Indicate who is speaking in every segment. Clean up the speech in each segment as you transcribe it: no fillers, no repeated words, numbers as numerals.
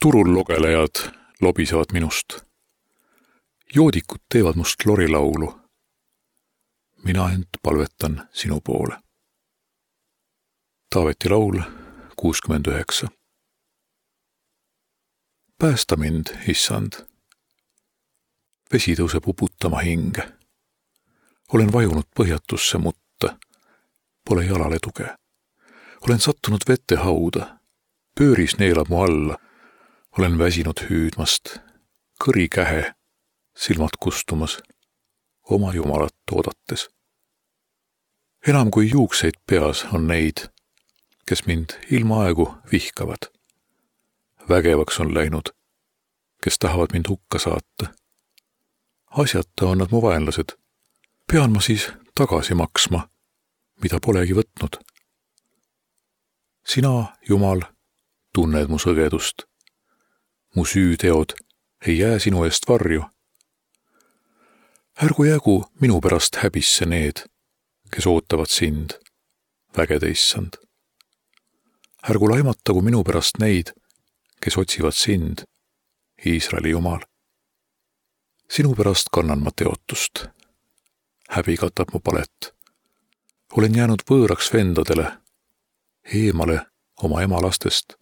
Speaker 1: Turul logelejad lobisevad minust. Joodikud teevad must lorilaulu. Mina ent palvetan sinu poole. Taaveti laul 69. Päästa mind, issand. Vesi tõuseb uputama hinge. Olen vajunud põhjatusse mutta. Pole jalale tuge. Olen sattunud vette hauda. Pööris neelab mu alla. Olen väsinud hüüdmast. Kõri kähe. Silmad kustumas. Oma jumalat oodates. Enam kui juukseid peas on neid, kes mind ilma aegu vihkavad. Vägevaks on läinud, kes tahavad mind hukka saata. Asjata on nad mu vaenlased. Pean ma siis tagasi maksma, mida polegi võtnud. Sina, Jumal, tunned mu sõgedust. Mu süüteod ei jää sinu eest varju. Ärgu jäägu minu pärast häbisse need, kes ootavad sind, vägede issand. Ärgu laimatagu minu pärast neid, kes otsivad sind, Iisraeli Jumal. Sinu pärast kannan ma teotust. Häbi katab mu palet. Olen jäänud võõraks vendadele, eemale oma ema lastest.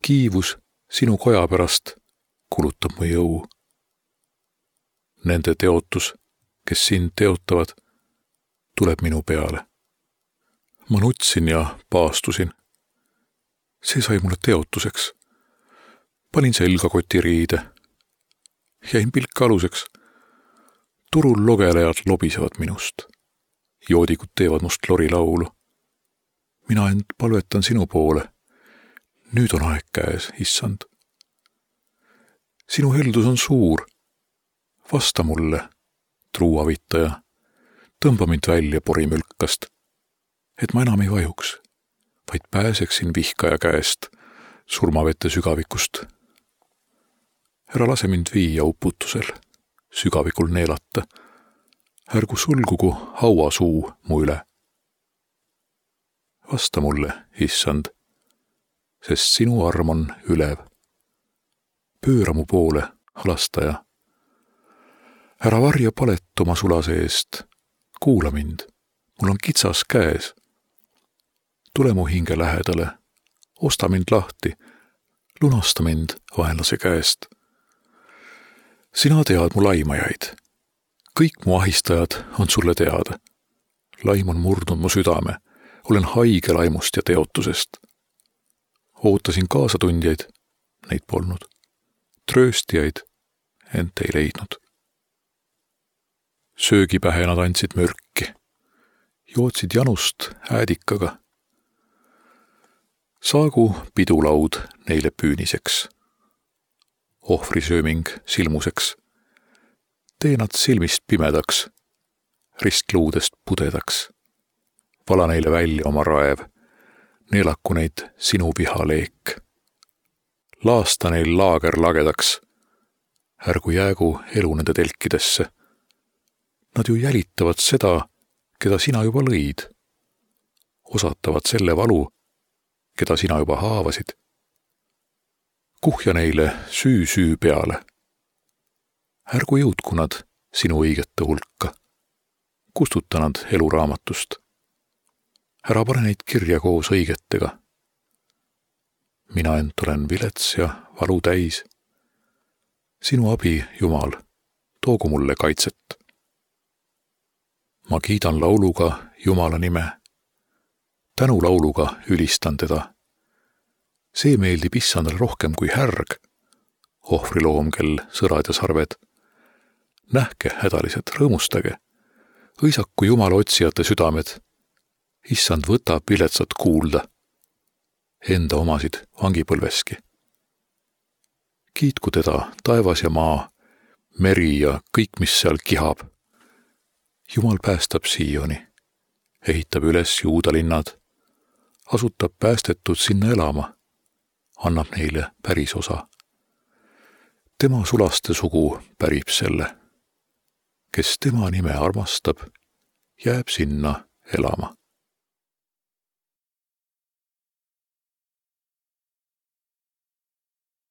Speaker 1: Kiivus sinu koja pärast kulutab mu jõu. Nende teotus, kes sind teotavad, tuleb minu peale. Ma nutsin ja paastusin. See sai mulle teotuseks. Panin selgakoti riide. Jäin pilka aluseks. Turul logelejad lobisevad minust. Joodikud teevad must lorilaulu. Mina ent palvetan sinu poole. Nüüd on aeg käes, issand. Sinu heldus on suur. Vasta mulle, truuavitaja. Tõmba mind välja porimülkast, et ma enam ei vajuks, vaid pääseksin vihkaja käest surmavete sügavikust. Ära lase mind viia uputusel, sügavikul neelata. Ärgu sulgugu hauasuu mu üle. Vasta mulle, issand, sest sinu arm on ülev. Pööra mu poole, halastaja. Ära varja palet oma sulase eest. Kuula mind. Mul on kitsas käes. Tule mu hinge lähedale. Osta mind lahti. Lunasta mind vaenlase käest. Sina tead mu laimajaid. Kõik mu ahistajad on sulle teada. Laim on murdnud mu südame. Olen haige laimust ja teotusest. Ootasin kaasatundjaid. Neid polnud. Trööstijaid. Ent ei leidnud. Söögipähe nad andsid mürki. Jootsid janust äädikaga. Saagu pidulaud neile püüniseks. Ohvrisööming silmuseks. Tee nad silmist pimedaks. Ristluudest pudedaks. Vala neile välja oma raev. Neelaku neid sinu vihaleek. Laasta neil laager lagedaks. Ärgu jäägu elu nende telkidesse. Nad ju jälitavad seda, keda sina juba lõid. Osatavad selle valu, keda sina juba haavasid. Kuhja neile süü peale. Ärgu jõudku nad sinu õigete hulka. Kustuta nad eluraamatust. Ära pane neid kirja koos õigetega. Mina ent olen vilets ja valu täis. Sinu abi, Jumal, toogu mulle kaitset. Ma kiidan lauluga Jumala nime. Tänulauluga ülistan teda. See meeldib issandale rohkem kui härg. Ohvriloom, kel sõrad ja sarved. Nähke, hädalised, rõõmustage. Õisaku Jumala otsijate südamed. Issand võtab viletsat kuulda. Enda omasid vangipõlveski. Kiitku teda taevas ja maa, meri ja kõik, mis seal kihab. Jumal päästab Sioni, ehitab üles Juuda linnad, asutab päästetud sinna elama, annab neile päris osa. Tema sulaste sugu pärib selle. Kes tema nime armastab, jääb sinna elama.